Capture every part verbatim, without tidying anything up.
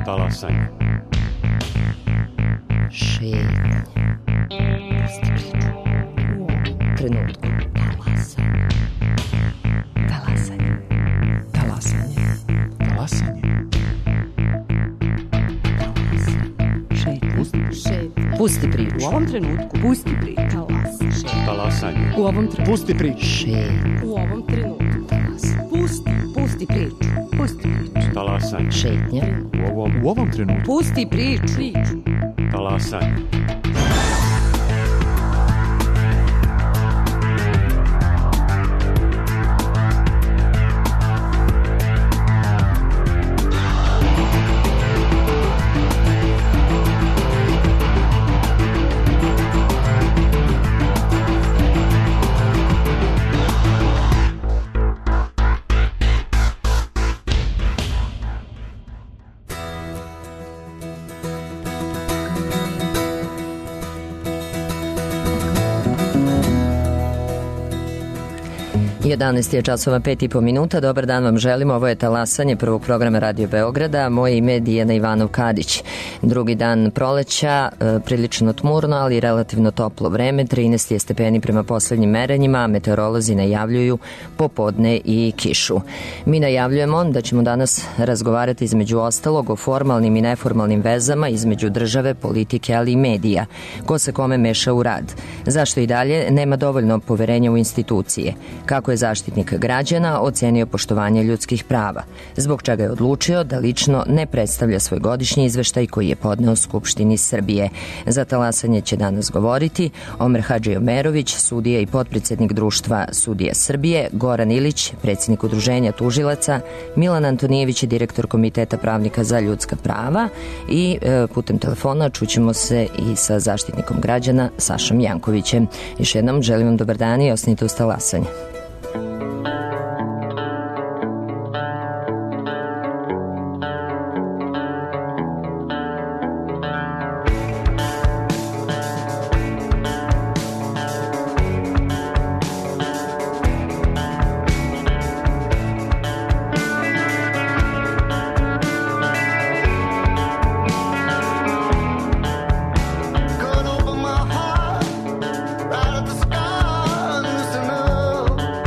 Talasanje. Šetnje. Pusti priču. U ovom trenutku. Talasanje. Talasanje. Talasanje. Talasanje. Šetnje. Šetnje. Pusti priču. U ovom trenutku. Pusti priču. Talasanje. Talasanje. U ovom trenutku. Pusti priču. Šetnje. U ovom trenutku. Talasanje. Pusti. Pusti priču. Pusti priču. Talasanje. Šetnje. U ovom, u ovom trenutku. Pusti priču. Priču. Talasanje. jedanaest je časova, pet i po minuta. Dobar dan vam želim. Ovo je Talasanje prvog programa Radio Beograda. Moje ime je Dijana Ivanov-Kadić. Drugi dan proleća, e, prilično tmurno, ali relativno toplo vreme. trinaest je stepeni prema poslednjim merenjima, a meteorolozi najavljuju popodne i kišu. Mi najavljujemo da ćemo danas razgovarati između ostalog o formalnim i neformalnim vezama između države, politike, ali i medija. Ko se kome meša u rad? Zašto i dalje nema dovoljno poverenja u institucije? Kako je Zaštitnik građana ocenio poštovanje ljudskih prava, zbog čega je odlučio da lično ne predstavlja svoj godišnji izveštaj koji je podneo Skupštini Srbije. Za Talasanje će danas govoriti Omer Hadžiomerović, sudija i potpredsednik Društva sudija Srbije, Goran Ilić, predsjednik Udruženja tužilaca, Milan Antonijević, direktor Komiteta pravnika za ljudska prava i e, putem telefona čućemo se i sa Zaštitnikom građana Sašom Jankovićem. Još jednom želim vam dobar dan i ostanite uz Talasanje. Right at the start, listen up.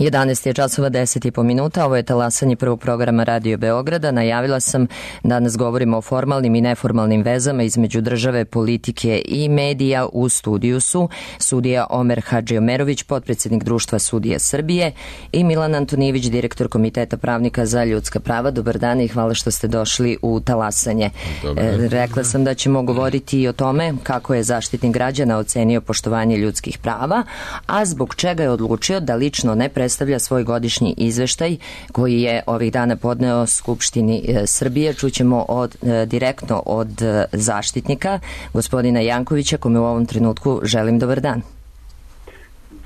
jedanaest je časova deset i po minuta, ovo je talasanje prvog programa Radio Beograda. Najavila sam danas govorimo o formalnim i neformalnim vezama između države, politike i medija. U studiju su sudija Omer Hadžiomerović, potpredsjednik Društva sudija Srbije, i Milan Antonijević, direktor Komiteta pravnika za ljudska prava. Dobar dan i hvala što ste došli u talasanje. E, rekla sam da ćemo govoriti i o tome kako je Zaštitnik građana ocenio poštovanje ljudskih prava, a zbog čega je odlučio da lično ne predstavlja svoj godišnji izveštaj koji je ovih dana podneo Skupštini e, Srbije. Čućemo od, e, direktno od e, Zaštitnika, gospodina Jankovića, kome u ovom trenutku želim dobar dan.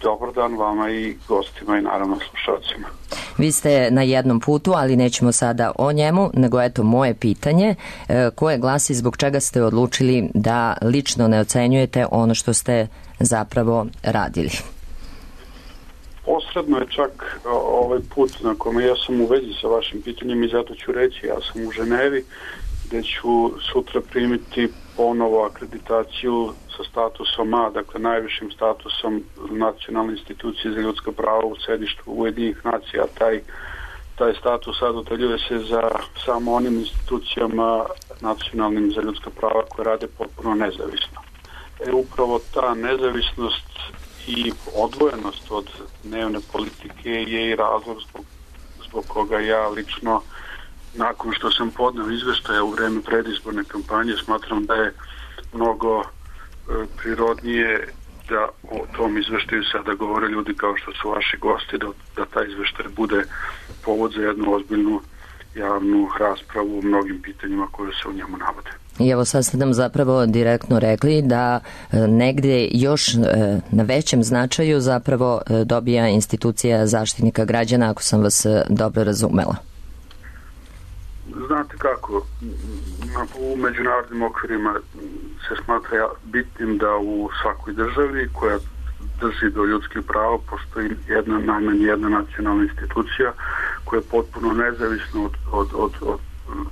Dobar dan vama i gostima i naravno slušalcima. Vi ste na jednom putu, ali nećemo sada o njemu, nego eto moje pitanje e, koje glasi zbog čega ste odlučili da lično ne ocenjujete ono što ste zapravo radili. Posredno je čak ovaj put na kome ja sam u vezi sa vašim pitanjem i zato ću reći, ja sam u Ženevi gde ću sutra primiti ponovo akreditaciju sa statusom A, dakle najvišim statusom Nacionalne institucije za ljudska prava u sedištu Ujedinjenih nacija. Taj, taj status sad dodeljuje se za samo onim institucijama nacionalnim za ljudska prava koje rade potpuno nezavisno. E, upravo ta nezavisnost i odvojenost od dnevne politike je i razlog zbog, zbog koga ja lično, nakon što sam podneo izveštaje u vreme predizborne kampanje, smatram da je mnogo e, prirodnije da o tom izveštaju sada govore ljudi kao što su vaši gosti, da, da taj izveštaj bude povod za jednu ozbiljnu javnu raspravu u mnogim pitanjima koje se u njemu navode. I evo sad ste nam zapravo direktno rekli da e, negde još e, na većem značaju zapravo e, dobija institucija Zaštitnika građana, ako sam vas e, dobro razumela. Znate kako, u međunarodnim okvirima se smatra bitnim da u svakoj državi koja drži do ljudskih prava postoji jedna, najmanje jedna nacionalna institucija koja je potpuno nezavisna od, od, od, od,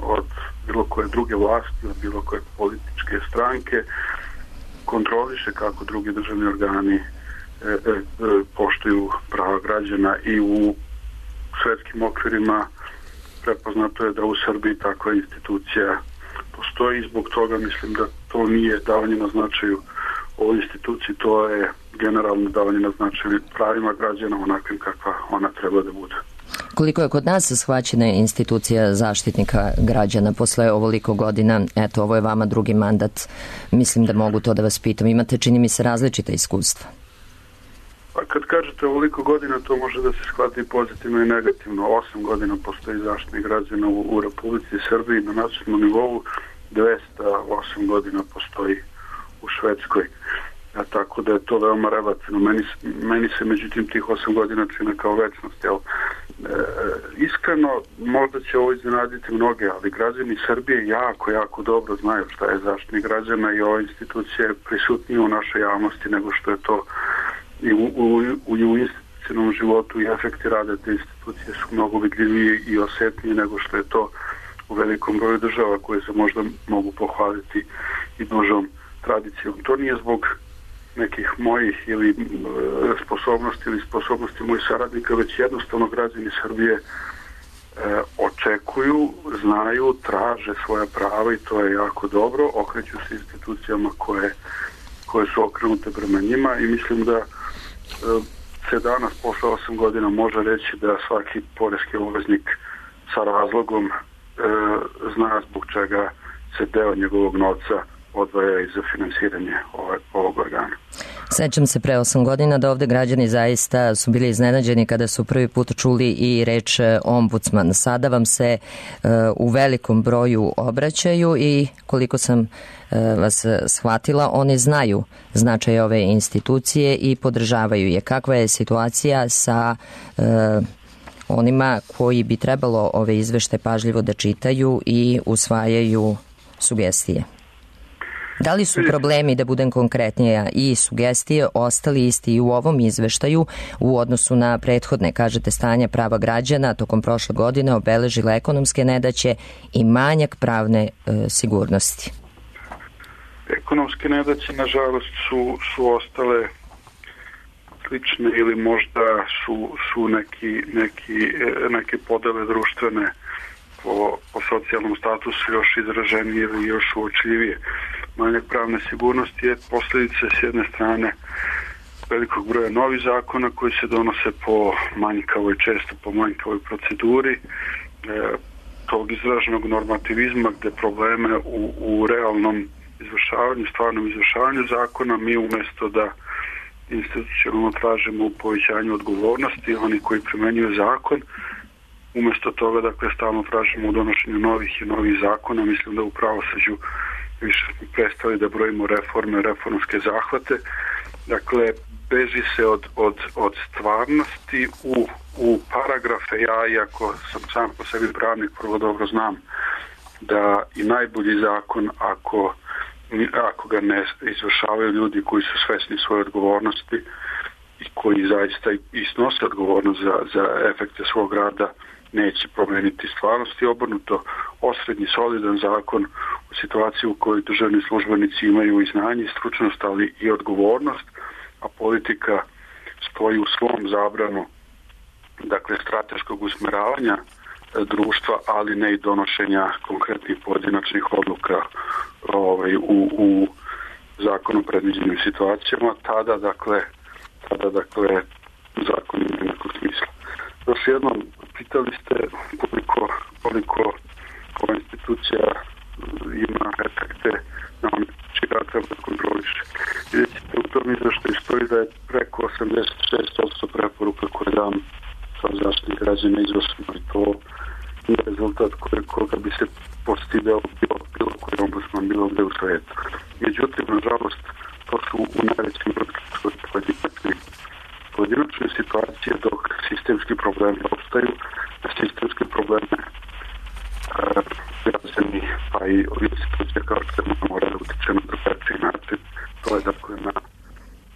od bilo koje druge vlasti, od bilo koje političke stranke, kontroliše kako drugi državni organi e, e, poštuju prava građana i u svetskim okvirima prepoznato je da u Srbiji takva institucija postoji i zbog toga mislim da to nije davanje na značaju ovoj instituciji, to je generalno davanje na značaju pravima građana onakvim kakva ona treba da bude. Koliko je kod nas shvaćena institucija Zaštitnika građana posle ovoliko godina? Eto, ovo je vama drugi mandat. Mislim da mogu to da vas pitam. Imate, čini mi se, različita iskustva. Pa kad kažete ovoliko godina, to može da se shvati pozitivno i negativno. Osam godina postoji Zaštitnik građana u, u Republici Srbiji na nacionalnom nivou, dvesta osam godina postoji u Švedskoj. A tako da je to veoma relativno. Meni, meni se međutim tih osam godina čine kao večnost. Jel? E, iskreno, možda će ovo iznenaditi mnoge, ali građani Srbije jako, jako dobro znaju šta je Zaštitnik građana i ova institucija je prisutnija u našoj javnosti nego što je to i u, u, u, u institucionalnom životu i efekti rada te institucije su mnogo vidljiviji i osjetniji nego što je to u velikom broju država koje se možda mogu pohvaliti i dužom tradicijom. To nije zbog nekih mojih ili e, sposobnosti ili sposobnosti mojih saradnika, već jednostavno građani Srbije e, očekuju, znaju, traže svoja prava i to je jako dobro. Okreću se institucijama koje, koje su okrenute prema njima i mislim da e, se danas posle osam godina može reći da svaki poreski obveznik sa razlogom e, zna zbog čega se deo njegovog novca odvaja i za finansiranje ovog, ovog organa. Sećam se pre osam godina da ovde građani zaista su bili iznenađeni kada su prvi put čuli i reč ombudsman. Sada vam se uh, u velikom broju obraćaju i koliko sam uh, vas shvatila, oni znaju značaj ove institucije i podržavaju je. Kakva je situacija sa uh, onima koji bi trebalo ove izvešte pažljivo da čitaju i usvajaju sugestije? Da li su problemi, da budem konkretnija, i sugestije ostali isti i u ovom izveštaju u odnosu na prethodne? Kažete, stanje prava građana tokom prošle godine obeležila ekonomske nedaće i manjak pravne e, sigurnosti. Ekonomske nedaće, nažalost, su, su ostale slične ili možda su, su neki, neki, neke podele društvene po, po socijalnom statusu još izraženije ili još uočljivije. Manjak pravne sigurnosti je posljedica s jedne strane velikog broja novih zakona koji se donose po manjkavoj, često po manjkavoj proceduri, e, tog izraženog normativizma gdje probleme u, u realnom izvršavanju, stvarnom izvršavanju zakona mi umjesto da institucionalno tražimo u povećanju odgovornosti, oni koji primjenjuju zakon, umjesto toga dakle stalno tražimo u donošenju novih i novih zakona. Mislim da u pravosuđu više smo prestali da brojimo reforme, reformske zahvate. Dakle, beži se od, od, od stvarnosti u, u paragrafe. Ja, iako sam sam po sebi pravnik, prvo dobro znam da i najbolji zakon, ako, ako ga ne izvršavaju ljudi koji su svesni svoje odgovornosti i koji zaista i snose odgovornost za, za efekte svog rada, neće promijeniti stvarnost i obrnuto. Osrednji, solidan zakon u situaciji u kojoj državni službenici imaju i znanje i stručnost, ali i odgovornost, a politika stoji u svom zabranu, dakle strateškog usmeravanja društva, ali ne i donošenja konkretnih pojedinačnih odluka ovaj, u, u zakonu predviđenim situacijama, tada dakle, tada dakle zakon ima nekog smisla. Još jednom, pitali ste koliko, koliko ova institucija ima efekte na ono čega treba da kontroliše. Vidjet ćete u tom izveštaju stoji da je preko osamdeset šest posto preporuka koje dam kao zaštitnik građana izvršeno i to nije rezultat koje, koga bi se postigao bilo, bilo koji ombudsman bilo gde u svijetu. Međutim, nažalost, to su u najvećem brodu pojedinačne, pojedinačne situacije dok sistemski problemi opstaju, na sistemske probleme građani pa i institucije kao što se mora da utiče na drugačiji način. To je dakle na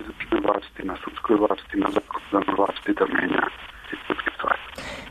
izvršnoj vlasti, na sudskoj vlasti, na zakonodavnoj vlasti da menja sistemske stvari.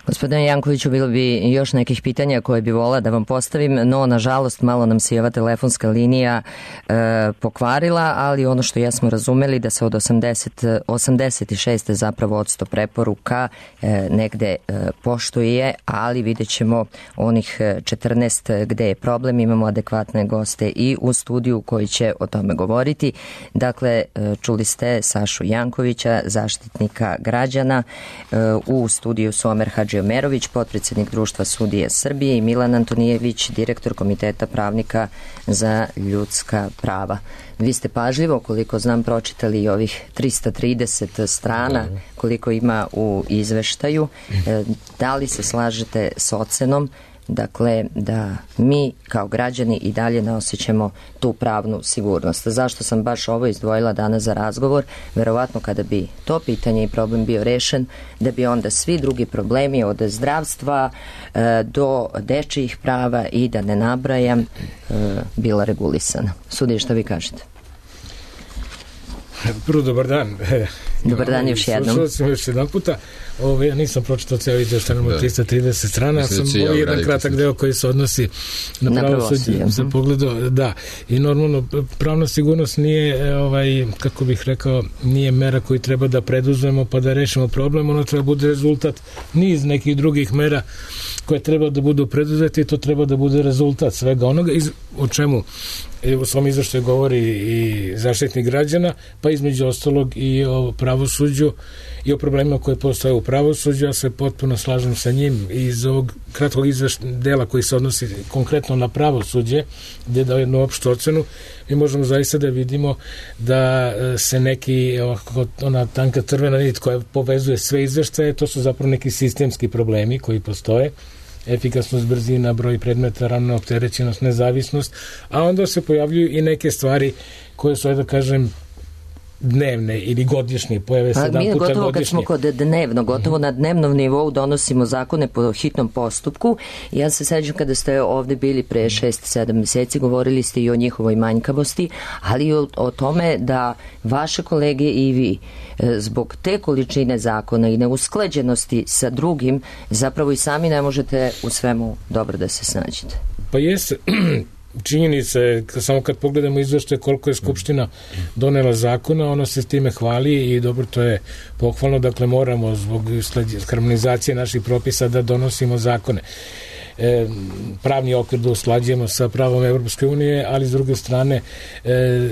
Gospodine Jankoviću, bilo bi još nekih pitanja koje bi volila da vam postavim, no nažalost malo nam se i ova telefonska linija e, pokvarila, ali ono što jesmo razumeli da se od osamdeset, osamdeset šest zapravo od sto preporuka e, negde e, poštuje, ali vidjet ćemo onih četrnaest gde je problem. Imamo adekvatne goste i u studiju koji će o tome govoriti. Dakle, e, čuli ste Sašu Jankovića, zaštitnika građana, e, u studiju su Omer Hadži Merović, potpredsjednik Društva sudije Srbije, i Milan Antonijević, direktor Komiteta pravnika za ljudska prava. Vi ste pažljivo, koliko znam, pročitali i ovih trista trideset strana koliko ima u izveštaju. Da li se slažete s ocenom, dakle, da mi kao građani i dalje ne osjećamo tu pravnu sigurnost? Zašto sam baš ovo izdvojila danas za razgovor? Verovatno kada bi to pitanje i problem bio rešen, da bi onda svi drugi problemi od zdravstva e, do dečijih prava i da ne nabrajam e, bila regulisana. Sudije, šta vi kažete? Prvo, dobar dan. Dobar dan još jednom. Slušao sam još jedan puta. Ovo, ja nisam pročitao cijelo izvještaj, imamo trista trideset strana, ja sam ovo jedan kratak deo koji se odnosi na, na pravosuđe za pogledao, da. I normalno, pravna sigurnost nije, ovaj, kako bih rekao, nije mera koju treba da preduzmemo pa da rešimo problem, ono treba bude rezultat niz nekih drugih mera koje treba da budu preduzeti i to treba da bude rezultat svega onoga iz, o čemu u svom izveštaju govori i zaštitnik građana, pa između ostalog i o pravosuđu i o problemima koje postoje u pravosuđu. Ja se potpuno slažem sa njim i iz ovog kratkog izveštaja dela koji se odnosi konkretno na pravosuđe, gdje dao jednu opštu ocenu, mi možemo zaista da vidimo da se neki, ovako, ona tanka crvena nit koja povezuje sve izveštaje, to su zapravo neki sistemski problemi koji postoje. Efikasnost, brzina, broj predmeta, ravna opterećenost, nezavisnost, a onda se pojavljuju i neke stvari koje su, da kažem, dnevne ili godišnje, pojave se jedan puta godišnje. Mi gotovo kad smo kod dnevno, gotovo mm-hmm. na dnevnom nivou donosimo zakone po hitnom postupku. Ja se sećam kada ste ovde bili pre šest sedam meseci, govorili ste i o njihovoj manjkavosti, ali i o, o tome da vaše kolege i vi zbog te količine zakona i neusklađenosti sa drugim zapravo i sami ne možete u svemu dobro da se snađete. Pa jeste, činjenica je, samo kad pogledamo izveštaje koliko je Skupština donela zakona, ona se s time hvali i dobro, to je pohvalno, dakle moramo zbog harmonizacije naših propisa da donosimo zakone. E, pravni okvir da usklađujemo sa pravom Evropske unije, ali s druge strane e,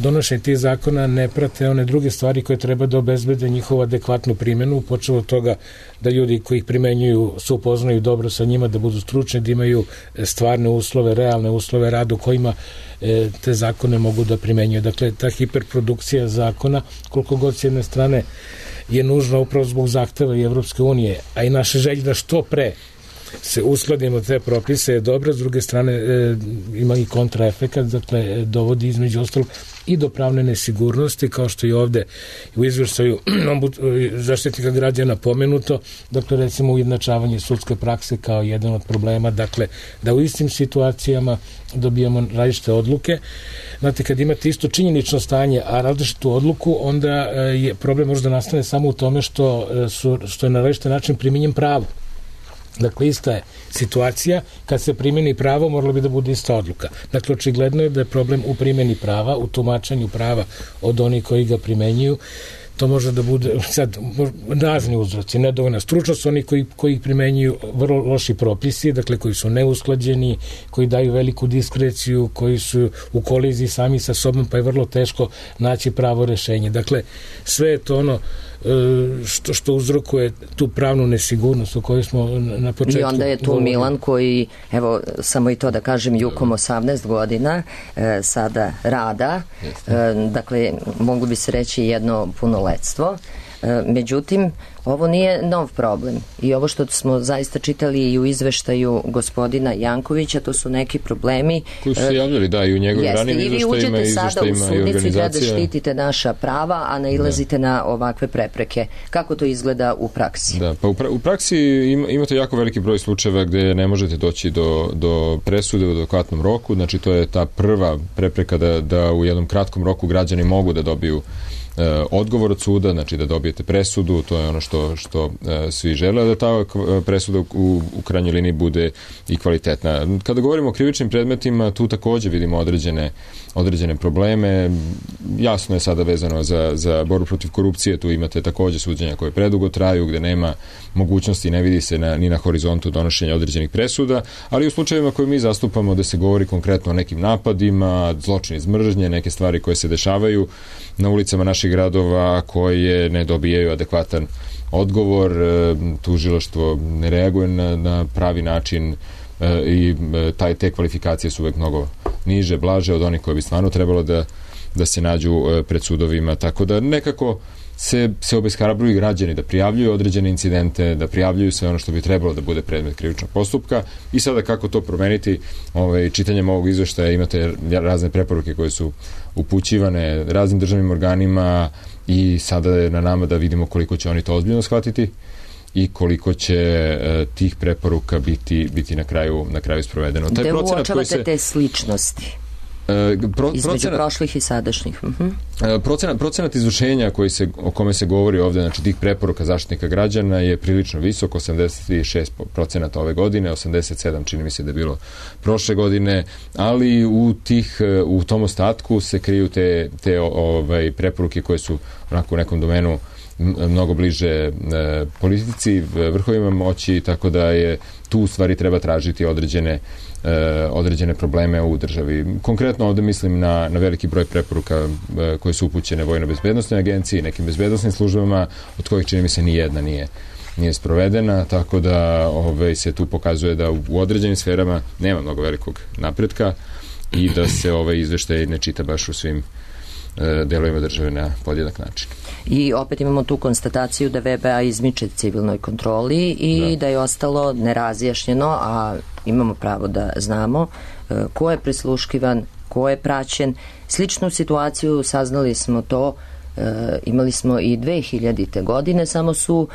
donošenje tih zakona ne prate one druge stvari koje treba da obezbede njihovu adekvatnu primjenu, počeo od toga da ljudi koji ih primenjuju se upoznaju dobro sa njima, da budu stručni, da imaju stvarne uslove, realne uslove rada u kojima e, te zakone mogu da primenjuju. Dakle, ta hiperprodukcija zakona, koliko god s jedne strane je nužna upravo zbog zahteva i Evropske unije, a i naše želje da što pre se uskladimo te propise je dobra, s druge strane e, ima i kontraefekat, dakle e, dovodi između ostalog i do pravne nesigurnosti, kao što i ovde u izveštaju Zaštitnika građana pomenuto, dakle recimo ujednačavanje sudske prakse kao jedan od problema, dakle da u istim situacijama dobijamo različite odluke. Znate, kad imate isto činjenično stanje, a različitu odluku, onda je problem možda nastane samo u tome što, su, što je na različite način primjenjen pravo. Dakle, ista je situacija, kad se primjeni pravo, moralo bi da bude ista odluka. Dakle, očigledno je da je problem u primjeni prava, u tumačenju prava od onih koji ga primenjuju. To može da bude, sad, razni uzroci, nedovoljna stručnost, oni koji, koji ih primenjuju vrlo loši propisi, dakle, koji su neusklađeni, koji daju veliku diskreciju, koji su u koliziji sami sa sobom, pa je vrlo teško naći pravo rešenje. Dakle, sve je to ono što, što uzrokuje tu pravnu nesigurnost o kojoj smo na početku. I onda je tu govorili. Milan koji, evo, samo i to da kažem, Jukom osamnaest godina, e, sada rada, e, dakle, moglo bi se reći jedno punoletstvo. E, međutim, ovo nije nov problem i ovo što smo zaista čitali i u izveštaju gospodina Jankovića, to su neki problemi koji su se javljali, da, i u njegovim ranim izveštajima i izveštajima i organizacija. I vi uđete sada u sudnici da štitite naša prava, a nailazite da. na ovakve prepreke. Kako to izgleda u praksi? Da, pa u, pra, u praksi ima, imate jako veliki broj slučajeva gde ne možete doći do, do presude u adekvatnom roku, znači to je ta prva prepreka da, da u jednom kratkom roku građani mogu da dobiju odgovor od suda, znači da dobijete presudu, to je ono što, što e, svi žele, da ta presuda u, u krajnjoj liniji bude i kvalitetna. Kada govorimo o krivičnim predmetima, tu takođe vidimo određene, određene probleme. Jasno je sada vezano za, za borbu protiv korupcije, tu imate takođe suđenja koje predugo traju, gde nema mogućnosti, ne vidi se na, ni na horizontu donošenja određenih presuda, ali u slučajevima koje mi zastupamo da se govori konkretno o nekim napadima, zločini iz mržnje, neke stvari koje se dešavaju na ulicama naših gradova koje ne dobijaju adekvatan odgovor, tužilaštvo ne reaguje na, na pravi način i taj, te kvalifikacije su uvek mnogo niže, blaže od onih koje bi stvarno trebalo da, da se nađu pred sudovima, tako da nekako se, se obeshrabruju građani da prijavljuju određene incidente, da prijavljuju sve ono što bi trebalo da bude predmet krivičnog postupka i sada kako to promeniti, ovaj, čitanjem ovog izveštaja imate razne preporuke koje su upućivane raznim državnim organima i sada je na nama da vidimo koliko će oni to ozbiljno shvatiti i koliko će e, tih preporuka biti, biti na kraju, na kraju sprovedeno. Gde uočavate se, te sličnosti? Pro, između procenat, prošlih i sadašnjih. Uh-huh. Procenat, procenat izvršenja koji se, o kome se govori ovde, znači tih preporuka Zaštitnika građana je prilično visok, osamdeset šest procenata ove godine, osamdeset sedam čini mi se da je bilo prošle godine, ali u tih u tom ostatku se kriju te, te ovaj, preporuke koje su onako u nekom domenu mnogo bliže e, politici, vrhovima moći, tako da je tu u stvari treba tražiti određene e, određene probleme u državi. Konkretno ovde mislim na, na veliki broj preporuka e, koje su upućene Vojno-bezbednosnoj agenciji, nekim bezbednosnim službama, od kojih čini mi se ni jedna nije nije sprovedena, tako da ove, se tu pokazuje da u, u određenim sferama nema mnogo velikog napretka i da se ovaj izveštaj ne čita baš u svim delovima države na podjednak način. I opet imamo tu konstataciju da V B A izmiče civilnoj kontroli i da, da je ostalo nerazjašnjeno, a imamo pravo da znamo ko je prisluškivan, ko je praćen. Sličnu situaciju saznali smo to, imali smo i dve hiljadite godine, samo su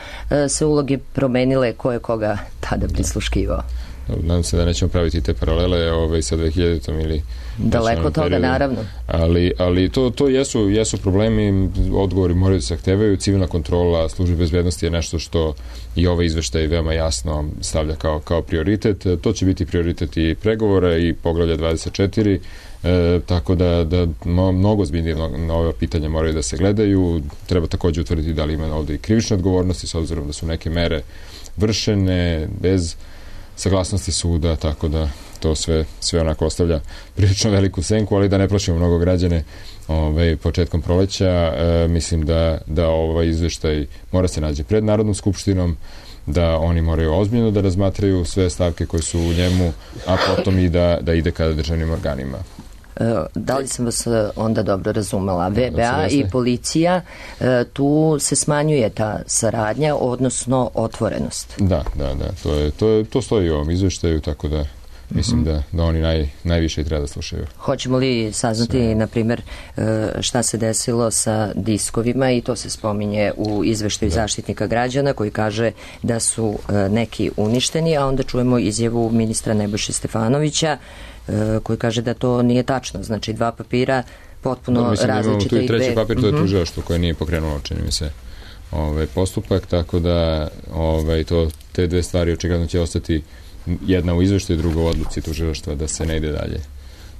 se uloge promenile ko je koga tada prisluškivao. nadam se da nećemo praviti te paralele ovaj, sa dve hiljaditom ili daleko toga, periodu. Naravno. Ali, ali to, to jesu, jesu problemi, odgovori moraju da se zahtevaju, civilna kontrola službe bezbednosti je nešto što i ovaj izveštaj veoma jasno stavlja kao, kao prioritet. To će biti prioritet i pregovora i poglavlja dvadeset četiri, e, tako da, da mnogo zbiljnije na ove pitanja moraju da se gledaju. Treba takođe utvrditi da li ima ovde i krivične odgovornosti, s obzirom da su neke mere vršene bez saglasnosti suda, tako da to sve, sve onako ostavlja prilično veliku senku, ali da ne plašimo mnogo građane ovaj, početkom proleća. E, mislim da, da ovaj izveštaj mora se nađe pred Narodnom skupštinom, da oni moraju ozbiljno da razmatraju sve stavke koje su u njemu, a potom i da, da ide kada državnim organima. Da li sam vas onda dobro razumela? V B A i policija, tu se smanjuje ta saradnja, odnosno otvorenost. Da, da, da. To, je, to, je, to stoji u ovom izveštaju, tako da mislim mm-hmm. da, da oni naj, najviše i treba da slušaju. Hoćemo li saznati, Sve. na primjer, šta se desilo sa diskovima, i to se spominje u izveštaju da. Zaštitnika građana, koji kaže da su neki uništeni, a onda čujemo izjavu ministra Nebojše Stefanovića, koji kaže da to nije tačno. Znači, dva papira potpuno da, mislim, različite. Tu i treći papir, to je tužilaštvo koje nije pokrenulo, čini mi se, ovaj, postupak, tako da ovaj, to, te dve stvari očigledno će ostati, jedna u izveštaju, druga u odluci tužilaštva, da se ne ide dalje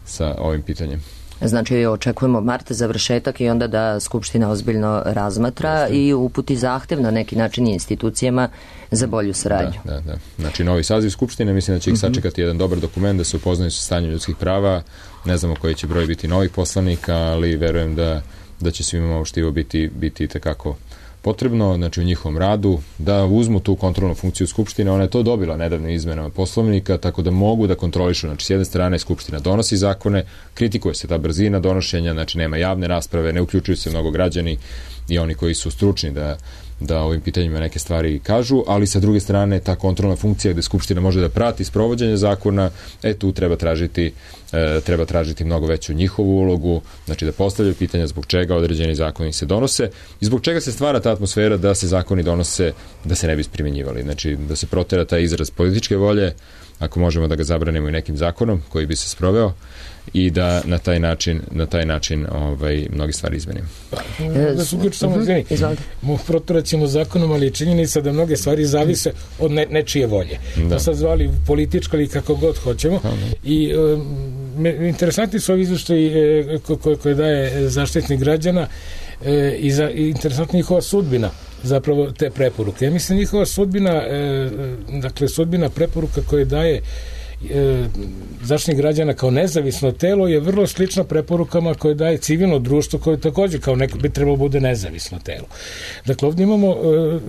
sa ovim pitanjem. Znači, očekujemo marta završetak i onda da Skupština ozbiljno razmatra Jeste. i uputi zahtev na neki način institucijama za bolju saradnju. Da, da, da. Znači, novi saziv Skupštine, mislim da će ih sačekati jedan dobar dokument, da se upoznaju sa stanjem ljudskih prava. Ne znamo koji će broj biti novih poslanika, ali verujem da, da će svima ovo štivo biti, biti tekako potrebno, znači u njihovom radu, da uzmu tu kontrolnu funkciju Skupštine. Ona je to dobila nedavno izmenama Poslovnika, tako da mogu da kontrolišu. Znači, s jedne strane Skupština donosi zakone, kritikuje se ta brzina donošenja, znači nema javne rasprave, ne uključuju se mnogo građani i oni koji su stručni da da ovim pitanjima neke stvari kažu, ali sa druge strane ta kontrolna funkcija gde Skupština može da prati sprovođenje zakona, e tu treba tražiti e, treba tražiti mnogo veću njihovu ulogu, znači da postavljaju pitanja zbog čega određeni zakoni se donose i zbog čega se stvara ta atmosfera da se zakoni donose da se ne bi primenjivali, znači da se protera taj izraz političke volje, ako možemo da ga zabranimo i nekim zakonom koji bi se sproveo, i da na taj način na taj način ovaj mnogi stvari izmenimo. Da se uključi samo izvini. Mo proteraćemo zakonom, ali je činjenica da mnoge stvari zavise od ne, nečije volje. Da. To sad zvali politička ili kako god hoćemo. Aha. I e, interesantni su ovi izveštaji e, koje, koje daje Zaštitnik građana e, i, za, i interesantna njihova sudbina, zapravo te preporuke. Ja mislim njihova sudbina, e, dakle sudbina preporuka koje daje E, Zaštitnik građana kao nezavisno telo je vrlo slična preporukama koje daje civilno društvo, koje takođe kao neko bi trebalo bude nezavisno telo. Dakle, ovdje imamo, e,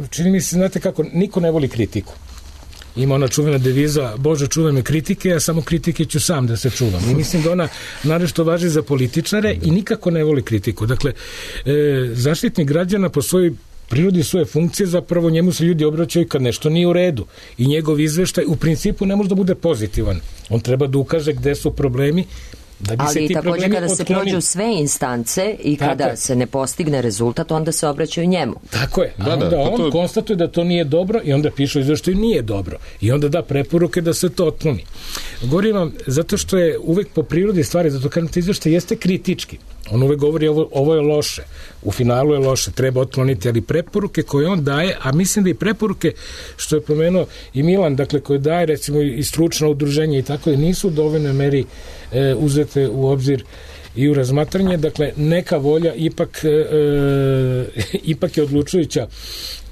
čini mi se, znate kako, niko ne voli kritiku. Ima ona čuvena deviza, Bože, čuvaj me kritike, a samo kritike ću sam da se čuvam. I mislim da ona narešto važi za političare i nikako ne voli kritiku. Dakle, e, Zaštitnik građana po svojoj prirodi svoje funkcije, zapravo njemu se ljudi obraćaju kad nešto nije u redu i njegov izveštaj u principu ne može da bude pozitivan. On treba da ukaže gde su problemi, da bi ali se ti također problemi kada otklonili. Se prođu sve instance i kada tako se ne postigne rezultat, onda se obraćaju njemu. Tako je. Da, a onda da, on to... konstatuje da to nije dobro i onda piše u izveštaju nije dobro. I onda da preporuke da se to otkloni. Govorim vam, zato što je uvek po prirodi stvari, zato kažem ti izveštaj jeste kritički. On uvek govori ovo, ovo je loše, u finalu je loše, treba otkloniti, ali preporuke koje on daje, a mislim da i preporuke što je pomenuo i Milan, dakle koje daje recimo i stručno udruženje i tako da nisu u dovoljnoj meri e, uzete u obzir i u razmatranje, dakle neka volja ipak e, e, ipak je odlučujuća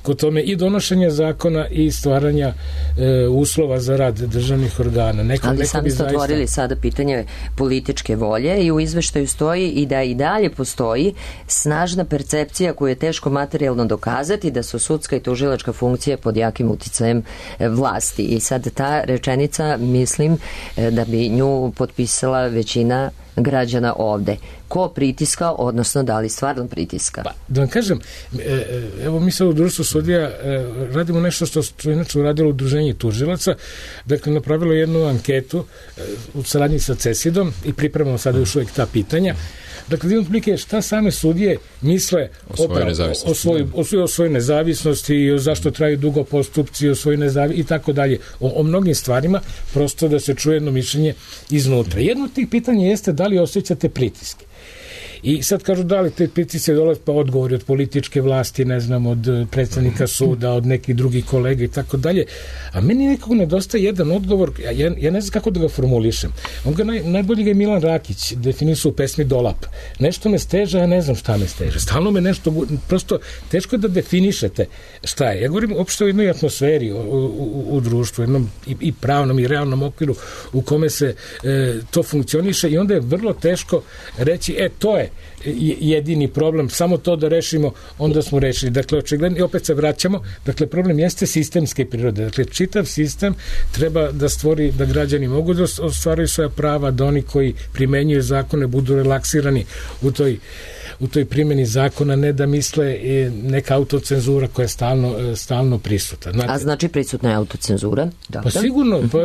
kod tome i donošenja zakona i stvaranja e, uslova za rad državnih organa. Neko, ali neko sami ste zaista... otvorili sada pitanje političke volje i u izveštaju stoji i da i dalje postoji snažna percepcija koju je teško materijalno dokazati da su sudska i tužilačka funkcija pod jakim uticajem vlasti. I sad ta rečenica, mislim, da bi nju potpisala većina građana ovde. Ko pritiska, odnosno da li stvarno pritiska? Pa, da vam kažem, evo mi sad u društvu sudija radimo nešto što što je inače uradilo udruženje tužilaca, dakle napravilo jednu anketu u saradnji sa CESID-om i pripremamo sada još uvijek ta pitanja. Dakle, da imam plike šta same sudije misle o svojoj nezavisnosti, o svoj, o svoj, o svoj nezavisnosti i o zašto traju dugo postupci, o svojoj nezavisnosti i tako dalje. O, o mnogim stvarima, prosto da se čuje jedno mišljenje iznutra. Jedno od tih pitanja jeste da li osjećate pritiske. I sad kažu da li te pritiske dolaze, pa odgovori od političke vlasti, ne znam, od predsednika suda, od nekih drugih kolega i tako dalje. A meni nekako nedostaje jedan odgovor, ja, ja ne znam kako da ga formulišem. On ga naj, najbolji ga je Milan Rakić definisao u pesmi Dolap. Nešto me steže, ja ne znam šta me steže. Stalno me nešto, prosto teško je da definišete šta je. Ja govorim uopšte o jednoj atmosferi u, u, u društvu, jednom i, i pravnom i realnom okviru u kome se e, to funkcioniše i onda je vrlo teško reći, e, to je jedini problem, samo to da rešimo, onda smo rešili. Dakle, očigledno, i opet se vraćamo, dakle, problem jeste sistemske prirode. Dakle, čitav sistem treba da stvori, da građani mogu da ostvaruju svoja prava, da oni koji primenjuju zakone budu relaksirani u toj u toj primjeni zakona, ne da misle neka autocenzura koja je stalno, stalno prisutna. Znate, a znači prisutna je autocenzura? Dobro. Pa sigurno, pa,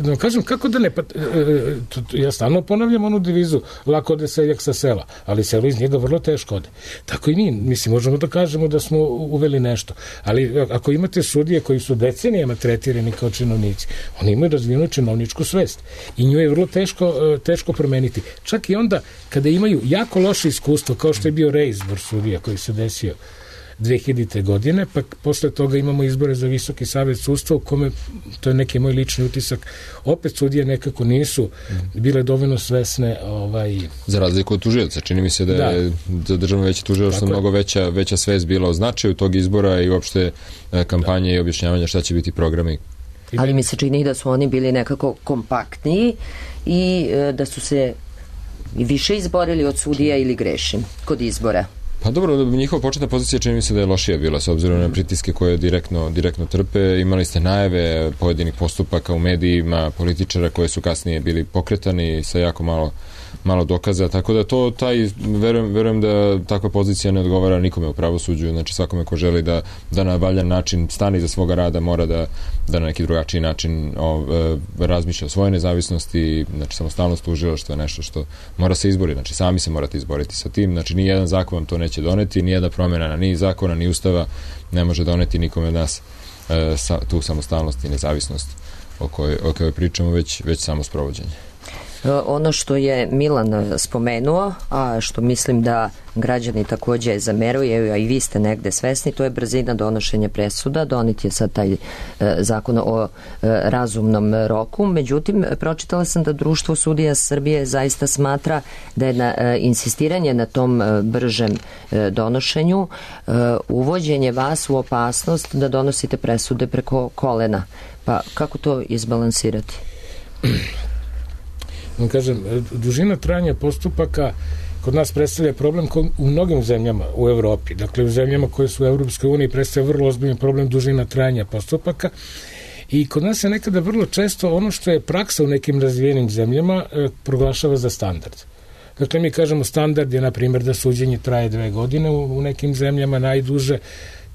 da kažem, kako da ne, pa, ja stalno ponavljam onu devizu, lako ode seljak sa sela, ali selo iz njega vrlo teško ode. Tako i mi, mislim, možemo da kažemo da smo uveli nešto, ali ako imate sudije koji su decenijama tretirani kao činovnici, oni imaju razvijenu činovničku svest i nju je vrlo teško, teško promeniti. Čak i onda kada imaju jako loše iskustvo, kao što je bio reizbor sudija koji se desio dve hiljadite godine, pa posle toga imamo izbore za Visoki savet sudstva u kome, to je neki moj lični utisak, opet sudije nekako nisu bile dovoljno svesne. Ovaj... Za razliku od tužioca, čini mi se da je da. Državno veće tužilaštvo mnogo veća, veća svest bila o značaju tog izbora i uopšte kampanje da. I objašnjavanja šta će biti programi. Ali mi se čini da su oni bili nekako kompaktniji i da su se i više izborili od sudija ili grešim kod izbora? Pa dobro, njihova početna pozicija čini mi se da je lošija bila s obzirom na pritiske koje direktno, direktno trpe. Imali ste najave pojedinih postupaka u medijima, političara koje su kasnije bili pokretani sa jako malo, malo dokaza, tako da to, taj, verujem, verujem da takva pozicija ne odgovara nikome u pravosuđu, znači svakome ko želi da, da na valjan način stane iza svoga rada mora da, da na neki drugačiji način o, e, razmišlja o svojoj nezavisnosti, znači samostalnost tužilaštva je nešto što mora se izboriti, znači sami se morate izboriti sa tim, znači ni jedan zakon vam to neće doneti, ni jedna promjena ni zakona, ni ustava ne može doneti nikome od nas e, sa, tu samostalnost i nezavisnost o kojoj, o kojoj pričamo, već, već samo sprovođenje. Ono što je Milan spomenuo, a što mislim da građani takođe zameruju, a i vi ste negde svesni, to je brzina donošenja presuda. Donet je sad taj e, zakon o e, razumnom roku. Međutim, pročitala sam da Društvo sudija Srbije zaista smatra da je na, e, insistiranje na tom e, bržem e, donošenju e, uvođenje vas u opasnost da donosite presude preko kolena. Pa kako to izbalansirati? Kažem, dužina trajanja postupaka kod nas predstavlja problem u mnogim zemljama u Evropi. Dakle, u zemljama koje su u Evropskoj uniji predstavlja vrlo ozbiljan problem dužina trajanja postupaka i kod nas se nekada vrlo često ono što je praksa u nekim razvijenim zemljama e, proglašava za standard. Dakle, mi kažemo standard je, na primjer, da suđenje traje dve godine u, u nekim zemljama najduže.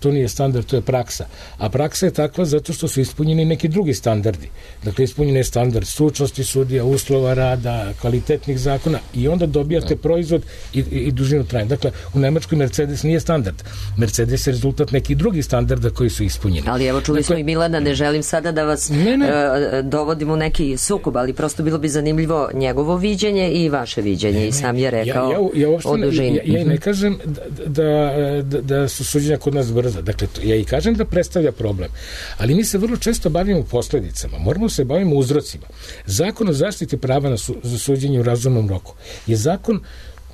To nije standard, to je praksa. A praksa je takva zato što su ispunjeni neki drugi standardi. Dakle, ispunjen je standard stručnosti sudija, uslova rada, kvalitetnih zakona i onda dobijate proizvod i, i, i dužinu trajanja. Dakle, u Nemačkoj Mercedes nije standard. Mercedes je rezultat nekih drugih standarda koji su ispunjeni. Ali evo, čuli dakle, smo i Milana, ne želim sada da vas ne, ne. Uh, dovodim u neki sukob, ali prosto bilo bi zanimljivo njegovo viđenje i vaše viđenje. Ne, I sam je rekao ja, ja, ja o dužini. Ja, ja i ne kažem da, da, da, da su suđenja kod nas brza. Dakle, ja i kažem da predstavlja problem, ali mi se vrlo često bavimo posledicama, moramo se bavimo uzrocima. Zakon o zaštiti prava na su, za suđenje u razumnom roku je zakon,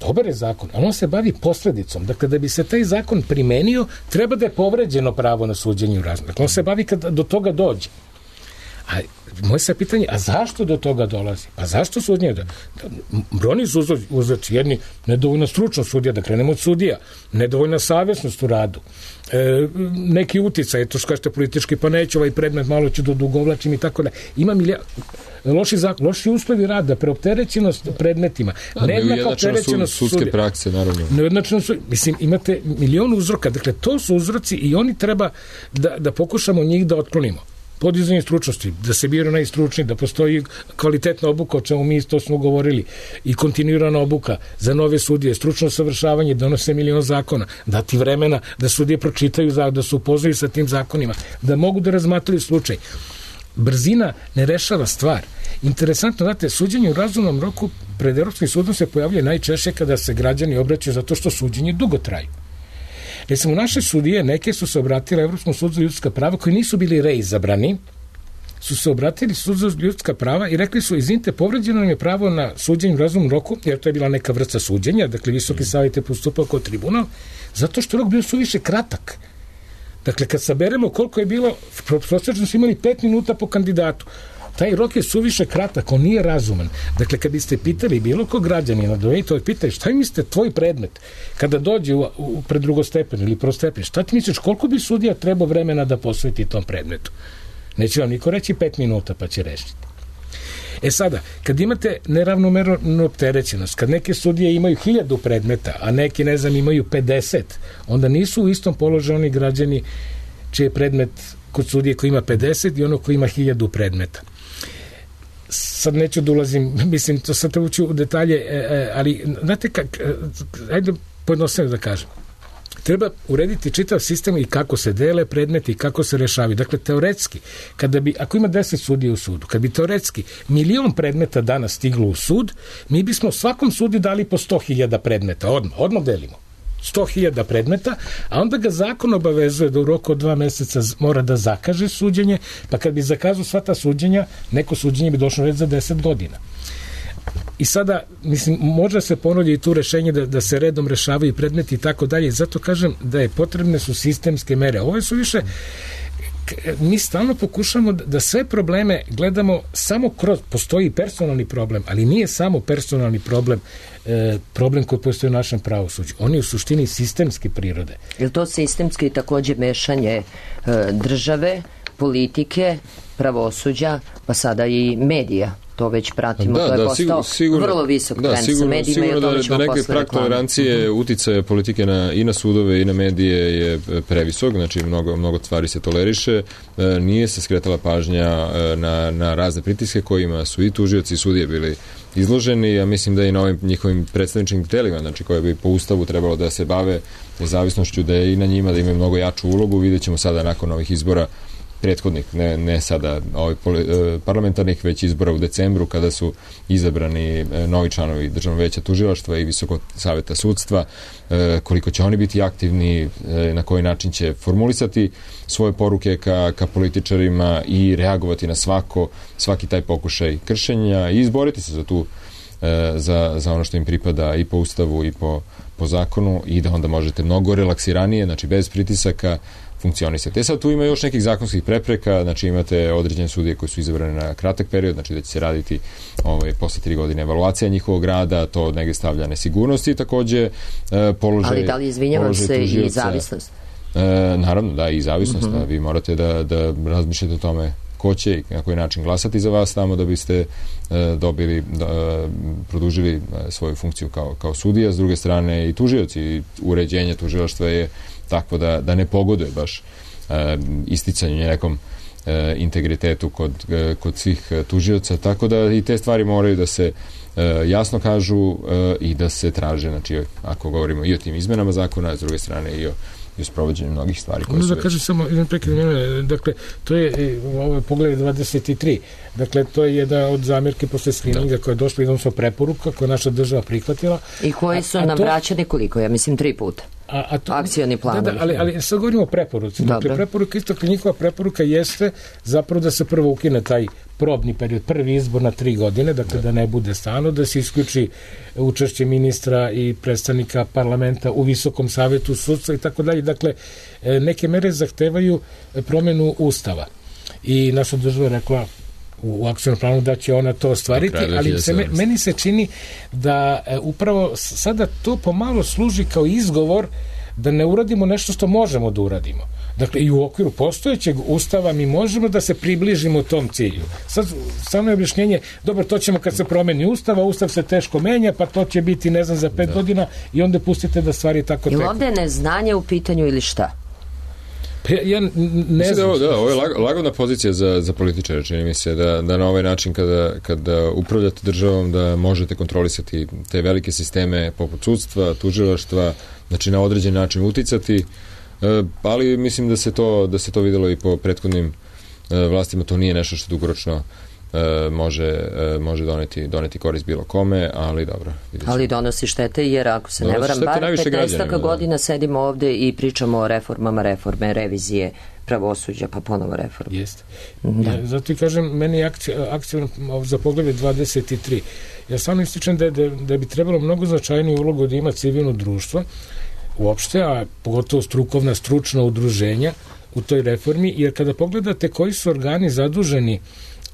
dobar je zakon, ali on se bavi posledicom. Dakle, da bi se taj zakon primenio, treba da je povređeno pravo na suđenje u razumnom roku. On se bavi kad do toga dođe. A moje se pitanje, a zašto do toga dolazi? A zašto sudnje? Da, brojni su uzroci, jedni nedovoljna stručnost sudija, da krenemo od sudija, nedovoljna savjesnost u radu, e, neki uticaj, to što kažete politički, pa neću ovaj predmet, malo ću da dugovlačim i tako da. Ima milija, loši zakon, loši uslovi rada, preopterećenost predmetima, da, nejednaka opterećenost sud, sudske prakse, naravno. Nejednačno su, mislim, imate milion uzroka, dakle, to su uzroci i oni treba da, da pokušamo njih da otklonimo. Podizanje stručnosti, da se biraju najstručniji, da postoji kvalitetna obuka, o čemu mi isto smo govorili, i kontinuirana obuka za nove sudije, stručno savršavanje, donose milion zakona, dati vremena da sudije pročitaju, da se upoznaju sa tim zakonima, da mogu da razmatraju slučaj. Brzina ne rešava stvar. Interesantno, znate, suđenje u razumnom roku pred Evropskim sudom se pojavljuje najčešće kada se građani obraćaju zato što suđenje dugo traju. Recimo, naše sudije, neke su se obratile Evropskom sudu za ljudska prava, koji nisu bili reizabrani, su se obratili sudu za ljudska prava i rekli su, izvinite, povređeno nam je pravo na suđenje u razumnom roku, jer to je bila neka vrsta suđenja, dakle, Visoki savet je postupao kao tribunal, zato što rok bio suviše kratak. Dakle, kad saberemo koliko je bilo, prosječno su imali pet minuta po kandidatu. Taj rok je suviše kratak, on nije razuman. Dakle, kad biste pitali bilo ko građanina, dovejte ovdje, pitaj, šta mislite tvoj predmet kada dođe u, u pred drugostepen ili prostepen, šta ti misliš, koliko bi sudija trebao vremena da posveti tom predmetu? Neće vam niko reći pet minuta pa će rešiti. E sada, kad imate neravnomernu opterećenost, kad neke sudije imaju hiljadu predmeta, a neki, ne znam, imaju pedeset, onda nisu u istom položaju oni građani čiji je predmet kod sudije koji ima pedeset i ono koji ima hiljadu predmeta. Sad neću da ulazim, mislim, to sad ući u detalje, ali znate, kak, ajde pojednostavno da kažem. Treba urediti čitav sistem i kako se dele predmeti i kako se rešavaju. Dakle, teoretski, kada bi, ako ima deset sudija u sudu, kad bi teoretski milion predmeta danas stiglo u sud, mi bismo svakom sudiju dali po sto hiljada predmeta, odmah, odmah delimo. sto hiljada predmeta, a onda ga zakon obavezuje da u roku od dva meseca mora da zakaže suđenje, pa kad bi zakazao sva ta suđenja, neko suđenje bi došlo već za deset godina. I sada, mislim, može se ponuditi i tu rešenje da, da se redom rešavaju predmeti i tako dalje. Zato kažem da je potrebne su sistemske mere. Ove su više, mi stalno pokušamo da sve probleme gledamo samo kroz, postoji personalni problem, ali nije samo personalni problem e, problem koji postoji u našem pravosuđu. On je u suštini sistemske prirode. Je li to sistemski takođe mešanje e, države, politike, pravosuđa, pa sada i medija? To već pratimo, da, to je da, postao sigurno, vrlo visok da, trend sigurno, sa medijima i o tome ćemo da neke prag tolerancije uh-huh. uticaja politike na, i na sudove i na medije je previsok, znači mnogo, mnogo stvari se toleriše, e, nije se skretala pažnja e, na, na razne pritiske kojima su i tužioci i sudije bili izloženi, ja mislim da i na ovim njihovim predstavničkim telima, znači koje bi po ustavu trebalo da se bave nezavisnošću, da je i na njima da imaju mnogo jaču ulogu, vidjet ćemo sada nakon ovih izbora prethodnih, ne, ne sada ovih parlamentarnih, već izbora u decembru kada su izabrani novi članovi Državnog veća tužilaštva i Visokog saveta sudstva, koliko će oni biti aktivni, na koji način će formulisati svoje poruke ka, ka političarima i reagovati na svako, svaki taj pokušaj kršenja i izboriti se za tu za, za ono što im pripada i po ustavu i po, po zakonu i da onda možete mnogo relaksiranije, znači bez pritisaka funkcionisati. E sad tu ima još nekih zakonskih prepreka, znači imate određene sudije koji su izabrane na kratak period, znači da će se raditi ovaj, posle tri godine evaluacija njihovog rada, to negde stavlja nesigurnost i takođe e, položaj Ali da li izvinjavam se tužioca, i zavisnost? E, naravno, da, i zavisnost. Uh-huh. Da, vi morate da, da razmišljate o tome ko će i na koji način glasati za vas tamo da biste e, dobili, da, produžili e, svoju funkciju kao, kao sudija. S druge strane i tužioci, i uređenje tužilaštva je takvo da, da ne pogoduje baš e, isticanju nekom e, integritetu kod, e, kod svih tužioca, tako da i te stvari moraju da se e, jasno kažu e, i da se traže, znači ako govorimo i o tim izmenama zakona, a s druge strane i o i sprovođenju mnogih stvari koje su da već... kažem samo jedan prekid, dakle, to je ovo pogled dvadeset tri, dakle, to je jedna od zamjerke posle skrininga da. koja je došla jednostavno preporuka koja naša država prihvatila. I koji su a, a nam to... vraćani koliko? Ja mislim tri puta. A, a to, akcioni plan. Da, da, ali, ali sad govorimo o preporuci. Dakle, preporuka, isto njihova preporuka jeste zapravo da se prvo ukine taj probni period, prvi izbor na tri godine, dakle da, da ne bude stalno, da se isključi učešće ministra i predstavnika parlamenta u Visokom savetu sudstva i tako dalje. Dakle, neke mere zahtevaju promenu ustava. I naša država je rekla u akcionom planu da će ona to ostvariti, ali se, meni se čini da e, upravo sada to pomalo služi kao izgovor da ne uradimo nešto što možemo da uradimo. Dakle, i u okviru postojećeg ustava mi možemo da se približimo tom cilju. Sad, samo je objašnjenje, dobro, to ćemo kad se promeni ustav, a ustav se teško menja, pa to će biti, ne znam, za pet da. godina i onda pustite da stvari tako teku. Ili ovde je neznanje u pitanju ili šta? Pa ja, ja ne znam. Da, da, ovo je lagodna pozicija za, za političare, čini mi se, da, da na ovaj način kada, kada upravljate državom da možete kontrolisati te velike sisteme poput sudstva, tužilaštva, znači na određen način uticati, ali mislim da se to, da se to videlo i po prethodnim vlastima, to nije nešto što dugoročno može, može doneti, doneti korist bilo kome, ali dobro. Ali donosi štete, jer ako se ne varam, bar petnaest godina sedimo ovde i pričamo o reformama, reforme, revizije pravosuđa, pa ponovo reforme. Jeste. Da. Ja, zato i kažem, meni je akcija, akcija za poglavlje dvadeset tri. Ja samo ističem da, da, da bi trebalo mnogo značajniju ulogu da ima civilno društvo, uopšte, a pogotovo strukovna, stručna udruženja u toj reformi, jer kada pogledate koji su organi zaduženi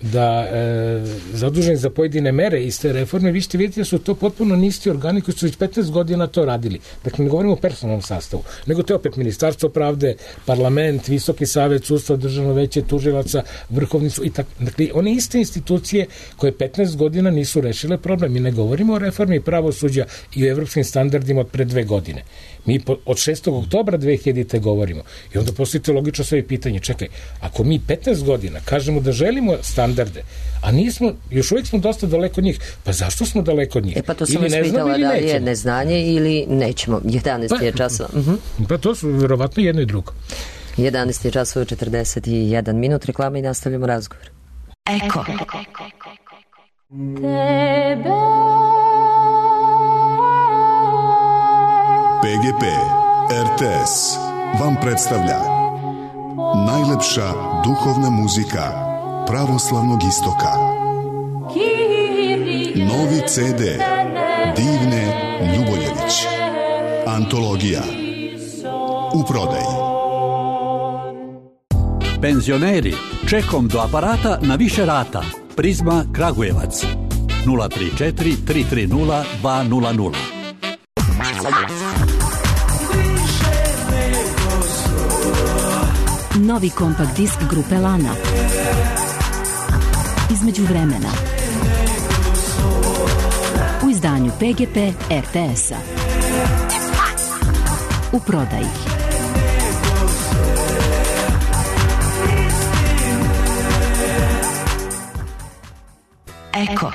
da e, zaduženi za pojedine mere iz te reforme, vi ćete vidjeti da su to potpuno nisti organi koji su već petnaest godina to radili. Dakle, ne govorimo o personalnom sastavu, nego to je opet Ministarstvo pravde, parlament, Visoki savet sudstva, Državno veće tužilaca, Vrhovni sud i tako. Dakle, one iste institucije koje petnaest godina nisu rešile problem. Mi ne govorimo o reformi pravosuđa i o evropskim standardima od pre dve godine. Mi od šestog oktobra dve hiljadite govorimo. I onda postavite logično sve pitanje. Čekaj, ako mi petnaest godina kažemo da želimo standarde, a nismo, još uvijek smo dosta daleko od njih, pa zašto smo daleko od njih? E pa to sam vas pitala da li je neznanje ili nećemo. jedanaest je časova. Uh-huh. Pa to su verovatno jedno i drugo. jedanaest je časova, četrdeset jedan minut, reklama i nastavljamo razgovor. Eko. Tebe P G P R T S vam predstavlja najlepša duhovna muzika pravoslavnog istoka. Novi C D Divne Ljuboljević. Antologija. U prodaji. Penzioneri, čekom do aparata na više rata. Prizma Kragujevac. nula tri četiri tri tri nula dva nula nula. Novi kompakt disk grupe Lana. Između vremena. U izdanju P G P R T S-a. U prodaji. Eko.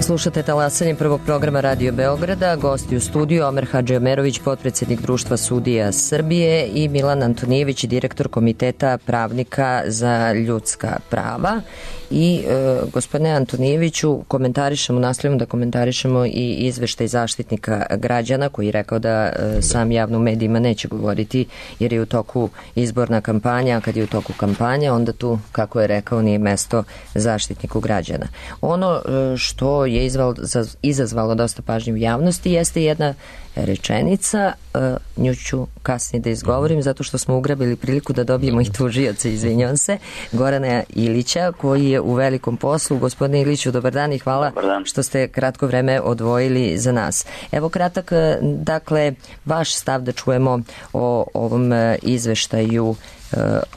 Slušate talasanje prvog programa Radio Beograda, gosti u studiju Omer Hadžiomerović, potpredsjednik Društva sudija Srbije, i Milan Antonijević, direktor Komiteta pravnika za ljudska prava. I e, gospodine Antonijeviću, komentarišemo, nastavljamo da komentarišemo i izveštaj Zaštitnika građana, koji je rekao da e, sam javno u medijima neće govoriti jer je u toku izborna kampanja, a kad je u toku kampanja, onda tu, kako je rekao, nije mesto Zaštitniku građana. Ono e, što je izval, za, izazvalo dosta pažnje u javnosti jeste jedna rečenica, uh, nju ću kasnije da izgovorim zato što smo ugrabili priliku da dobijemo i tužioca, izvinjavam se, Gorana Ilića, koji je u velikom poslu. Gospodine Iliću, dobar dan i hvala što ste kratko vreme odvojili za nas. Evo kratak, dakle, vaš stav da čujemo o ovom izveštaju uh,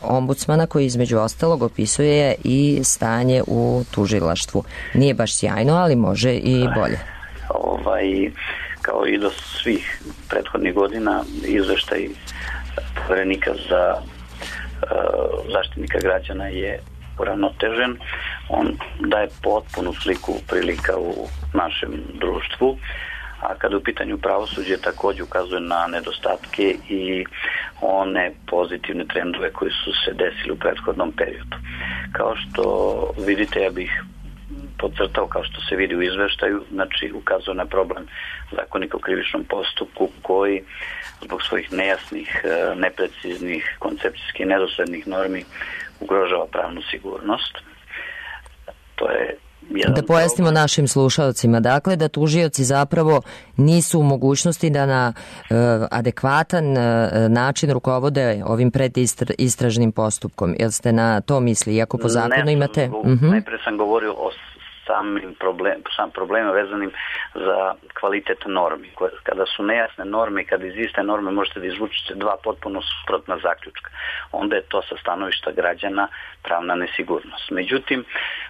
ombudsmana, koji između ostalog opisuje i stanje u tužilaštvu. Nije baš sjajno, ali može i bolje. Ovaj... kao i do svih prethodnih godina, izveštaj Poverenika za uh, zaštitnika građana je uravnotežen. On daje potpunu sliku prilika u našem društvu, a kada u pitanju pravosuđe također ukazuje na nedostatke i one pozitivne trendove koji su se desili u prethodnom periodu. Kao što vidite, ja bih podcrtao, kao što se vidi u izveštaju, znači ukazuje na problem Zakonika o krivičnom postupku koji zbog svojih nejasnih, nepreciznih, koncepcijskih i nedoslednih normi ugrožava pravnu sigurnost. To je da pojasnimo problem našim slušalcima, dakle da tužioci zapravo nisu u mogućnosti da na e, adekvatan e, način rukovode ovim predistražnim postupkom. Jel ste na to misli? Iako po zakonu ne, imate... Uh-huh. Najpre sam govorio o samim problem, sam problema vezanim za kvalitet normi. Kada su nejasne norme i kada iz iste norme možete da izvučete dva potpuno suprotna zaključka, onda je to sa stanovišta građana pravna nesigurnost. Međutim,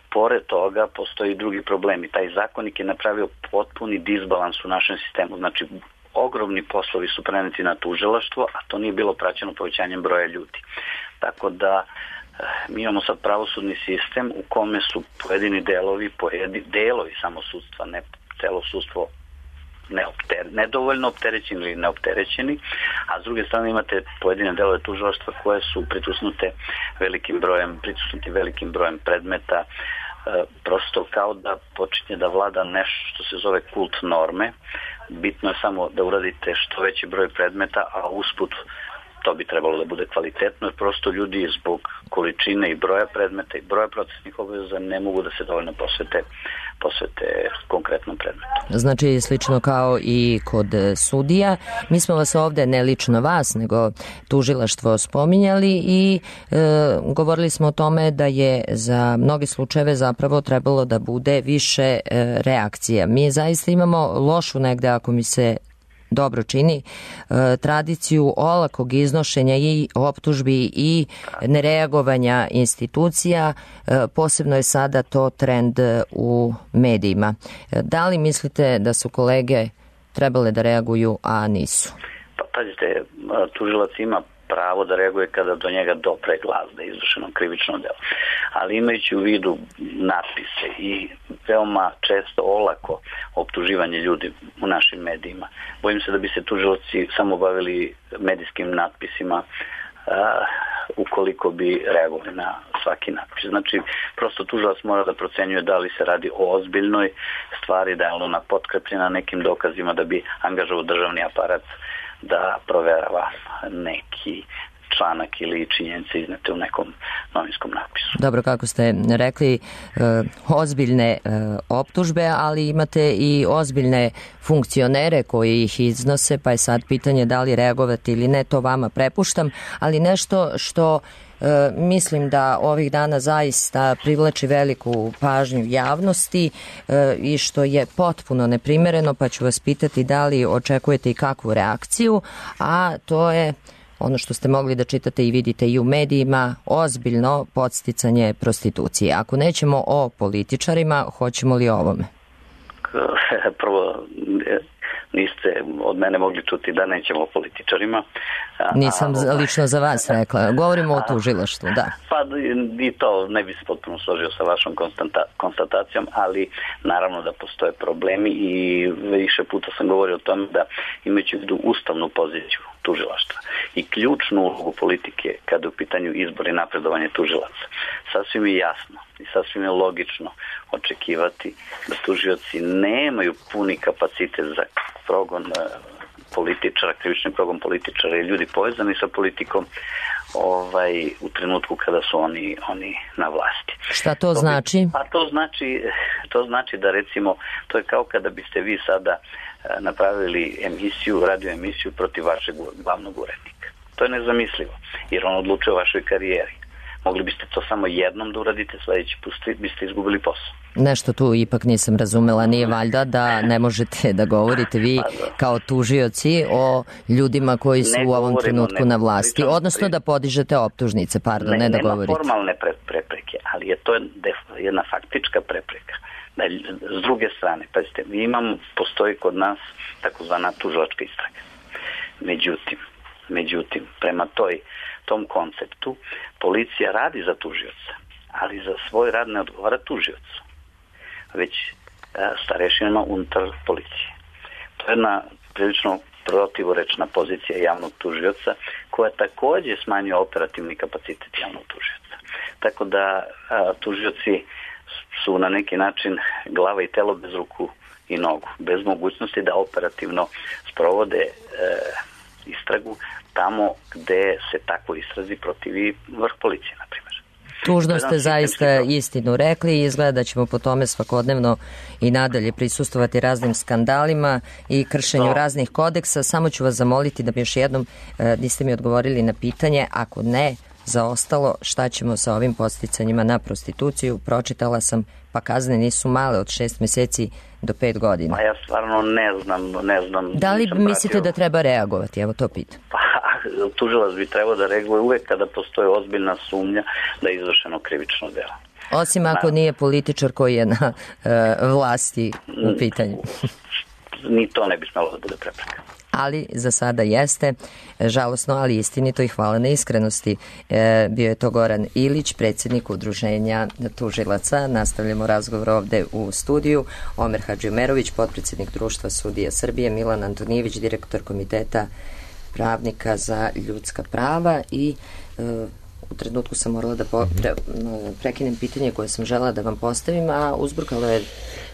pored toga postoji drugi problem i taj zakonik je napravio potpuni disbalans u našem sistemu. Znači, ogromni poslovi su preneti na tužilaštvo, a to nije bilo praćeno povećanjem broja ljudi. Tako da mi imamo sad pravosudni sistem u kome su pojedini delovi, pojedini delovi samo sudstva, ne celo sudstvo neopter, nedovoljno opterećeni ili neopterećeni, a s druge strane imate pojedine delove tužilaštva koje su pritisnute velikim brojem, pritisnuti velikim brojem predmeta, e, prosto kao da počinje da vlada nešto što se zove kult norme. Bitno je samo da uradite što veći broj predmeta, a usput to bi trebalo da bude kvalitetno, jer prosto ljudi zbog količine i broja predmeta i broja procesnih obaveza ne mogu da se dovoljno posvete, posvete konkretnom predmetu. Znači, slično kao i kod sudija. Mi smo vas ovde, ne lično vas, nego tužilaštvo spominjali i e, govorili smo o tome da je za mnoge slučajeve zapravo trebalo da bude više e, reakcija. Mi zaista imamo lošu negde, ako mi se dobro čini, e, tradiciju olakog iznošenja i optužbi i nereagovanja institucija, e, posebno je sada to trend u medijima. E, da li mislite da su kolege trebale da reaguju, a nisu? Pa pazite, tužilac ima pravo da reaguje kada do njega dopre glas da je izvršeno krivično delo. Ali imajući u vidu natpise i veoma često olako optuživanje ljudi u našim medijima, bojim se da bi se tužilaci samo bavili medijskim natpisima a, ukoliko bi reagovali na svaki natpis. Znači, prosto tužilac mora da procenjuje da li se radi o ozbiljnoj stvari, da je ona potkrepljena nekim dokazima da bi angažovao državni aparat da proverava neki članak ili činjenice iznete u nekom novinskom napisu. Dobro, kako ste rekli, e, ozbiljne e, optužbe, ali imate i ozbiljne funkcionere koji ih iznose, pa je sad pitanje da li reagovati ili ne, to vama prepuštam, ali nešto što E, mislim da ovih dana zaista privlači veliku pažnju javnosti e, i što je potpuno neprimereno, pa ću vas pitati da li očekujete i kakvu reakciju, a to je ono što ste mogli da čitate i vidite i u medijima, ozbiljno podsticanje prostitucije. Ako nećemo o političarima, hoćemo li o ovome? Prvo, niste od mene mogli čuti da nećemo o političarima. Nisam a, lično za vas rekla. Govorimo o tužilaštvu, da. Pa i to ne bi se potpuno složio sa vašom konstatacijom, ali naravno da postoje problemi i više puta sam govorio o tome da imajući u vidu ustavnu poziciju tužilaštva i ključnu ulogu politike kada je u pitanju izbor i napredovanje tužilaca. Sasvim je jasno i sasvim je logično očekivati da tužioci nemaju puni kapacitet za progon političara, krivični progon političara i ljudi povezani sa politikom ovaj, u trenutku kada su oni, oni na vlasti. Šta to, to znači? Bi, pa to znači, to znači da recimo, to je kao kada biste vi sada napravili emisiju, radio emisiju protiv vašeg glavnog urednika. To je nezamislivo, jer on odlučuje o vašoj karijeri. Mogli biste to samo jednom da uradite, sledeći put biste izgubili posao. Nešto tu ipak nisam razumela, nije valjda da ne možete da govorite vi kao tužioci o ljudima koji su u ovom trenutku na vlasti, odnosno da podižete optužnice, pardon, ne, ne da govorite. Nema formalne prepreke, ali je to jedna faktička prepreka. S druge strane, pazite, mi imamo, postoji kod nas takozvana tužilačka istraga. Međutim, međutim, prema toj tom konceptu policija radi za tužioca, ali za svoj rad ne odgovara tužiocu, već starešinama unutar policije. To je jedna prilično protivorečna pozicija javnog tužioca koja takođe smanjuje operativni kapacitet javnog tužioca. Tako da a, tužioci su na neki način glava i telo bez ruku i nogu, bez mogućnosti da operativno sprovode e, istragu tamo gde se tako istrazi protivi vrh policije, na primjer. Tužno ste zaista istinu rekli i izgleda da ćemo po tome svakodnevno i nadalje prisustovati raznim skandalima i kršenju no. raznih kodeksa. Samo ću vas zamoliti da mi još jednom e, niste mi odgovorili na pitanje, ako ne, za ostalo, šta ćemo sa ovim podsticanjima na prostituciju? Pročitala sam, pa kazne nisu male, od šest meseci do pet godina. Pa ja stvarno ne znam, ne znam. Da li mislite pratio... da treba reagovati? Evo to pitam. Pa, tužilac bi trebao da reaguje uvek kada postoji ozbiljna sumnja da je izvršeno krivično delo. Osim ako na... nije političar koji je na uh, vlasti u pitanju. Ni to ne bi smelo da bude prepreka. Ali za sada jeste, žalosno, ali istinito i hvala na iskrenosti. E, bio je to Goran Ilić, predsjednik udruženja tužilaca. Nastavljamo razgovor ovde u studiju. Omer Hadžiomerović, potpredsjednik Društva sudija Srbije, Milan Antonijević, direktor Komiteta pravnika za ljudska prava i e, u trenutku sam morala da po, pre, prekinem pitanje koje sam žela da vam postavim, a uzburkalo je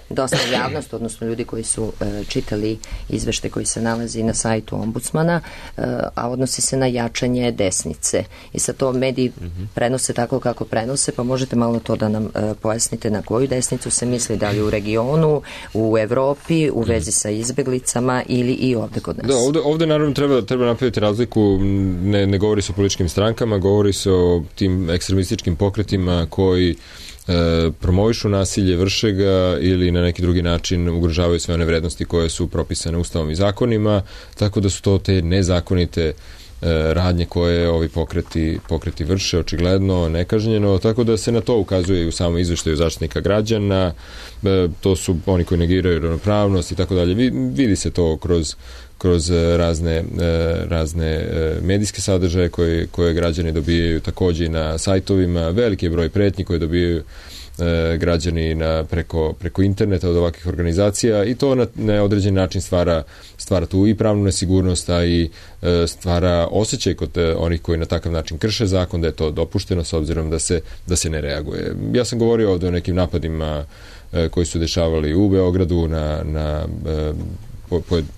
dosta javnost, odnosno ljudi koji su e, čitali izvešte koji se nalazi na sajtu ombudsmana, e, a odnosi se na jačanje desnice. I sad to mediji mm-hmm. prenose tako kako prenose, pa možete malo to da nam e, pojasnite na koju desnicu se misli, da li u regionu, u Evropi, u vezi sa izbeglicama ili i ovde kod nas. Da, ovde, ovde naravno treba, treba napraviti razliku, ne, ne govori se o političkim strankama, govori se o tim ekstremističkim pokretima koji E, promovišu nasilje, vrše ga ili na neki drugi način ugrožavaju sve one vrednosti koje su propisane ustavom i zakonima, tako da su to te nezakonite e, radnje koje ovi pokreti, pokreti vrše, očigledno, nekažnjeno, tako da se na to ukazuje i u samom izveštaju Zaštitnika građana, e, to su oni koji negiraju ravnopravnost i tako dalje. Vidi se to kroz kroz razne, razne medijske sadržaje koje, koje građani dobijaju takođe i na sajtovima, veliki je broj pretnji koje dobijaju građani na, preko, preko interneta od ovakvih organizacija i to na, na određen način stvara, stvara tu i pravnu nesigurnost, a i stvara osjećaj kod onih koji na takav način krše zakon da je to dopušteno s obzirom da se, da se ne reaguje. Ja sam govorio ovde o nekim napadima koji su dešavali u Beogradu na, na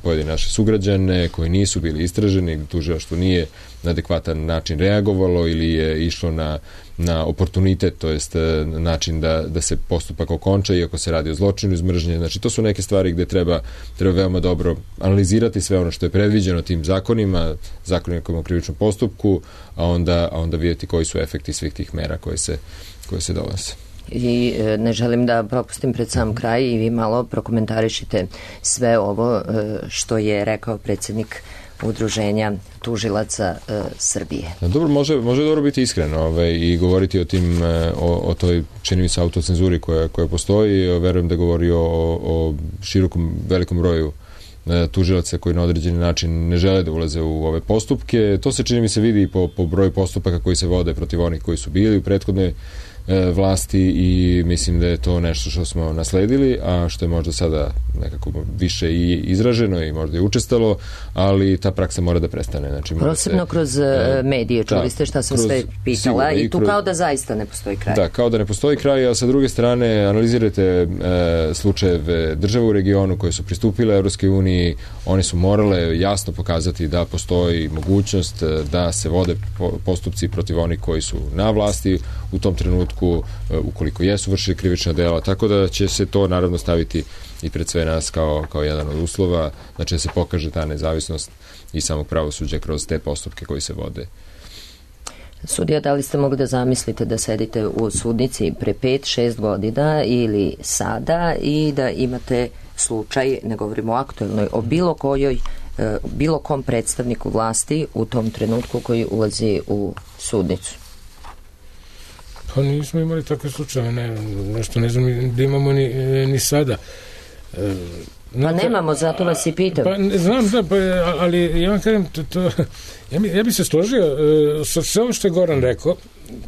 pojedine naše sugrađane koji nisu bili istraženi, tužilaštvo nije na adekvatan način reagovalo ili je išlo na, na oportunitet, to jest način da, da se postupak okonča iako se radi o zločinu iz mržnje. Znači to su neke stvari gde treba, treba veoma dobro analizirati sve ono što je predviđeno tim zakonima, zakonima o krivičnom postupku, a onda, a onda vidjeti koji su efekti svih tih mera koje se, koje se donose. I ne želim da propustim pred sam kraj i vi malo prokomentarišite sve ovo što je rekao predsjednik udruženja tužilaca e, Srbije. Dobro, može, može dobro biti iskreno ovaj, i govoriti o tim, o, o toj, čini mi se, autocenzuri koja, koja postoji. Verujem da govori o, o širokom, velikom broju tužilaca koji na određeni način ne žele da ulaze u ove postupke. To se, čini mi se, vidi po, po broju postupaka koji se vode protiv onih koji su bili u prethodnoj vlasti i mislim da je to nešto što smo nasledili, a što je možda sada nekako više i izraženo i možda i učestalo, ali ta praksa mora da prestane. Znači, posebno se, kroz e, medije, čuli da, ste šta sam kroz, sve pitala i tu kroz, kao da zaista ne postoji kraj. Da, kao da ne postoji kraj, a sa druge strane analizirajte e, slučajeve država u regionu koje su pristupile Evropskoj uniji, one su morale jasno pokazati da postoji mogućnost da se vode postupci protiv onih koji su na vlasti u tom trenutku ukoliko jesu vršili krivična dela, tako da će se to naravno staviti i pred sve nas kao, kao jedan od uslova, znači da se pokaže ta nezavisnost i samog pravosuđa kroz te postupke koji se vode. Sudija, da li ste mogli da zamislite da sedite u sudnici pre pet, šest godina ili sada i da imate slučaj, ne govorimo o aktuelnoj, o bilo kojoj, bilo kom predstavniku vlasti u tom trenutku koji ulazi u sudnicu? Pa nismo imali takve slučaje, ne, nešto ne znam da imamo ni, ni sada. E, Pa nemamo, zato vas i pitam. Pa znam, da, pa, ali ja vam kažem, to, to, ja, bi, ja bi se složio uh, sa sve ovo što je Goran rekao.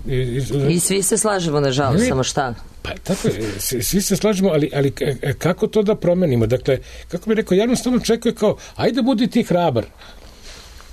I, i, I svi se slažemo, nažalost, ne, samo šta? Pa tako, svi, svi se slažemo, ali, ali kako to da promenimo? Dakle, kako bi rekao, javnost tamo čekuje kao, ajde budi ti hrabar.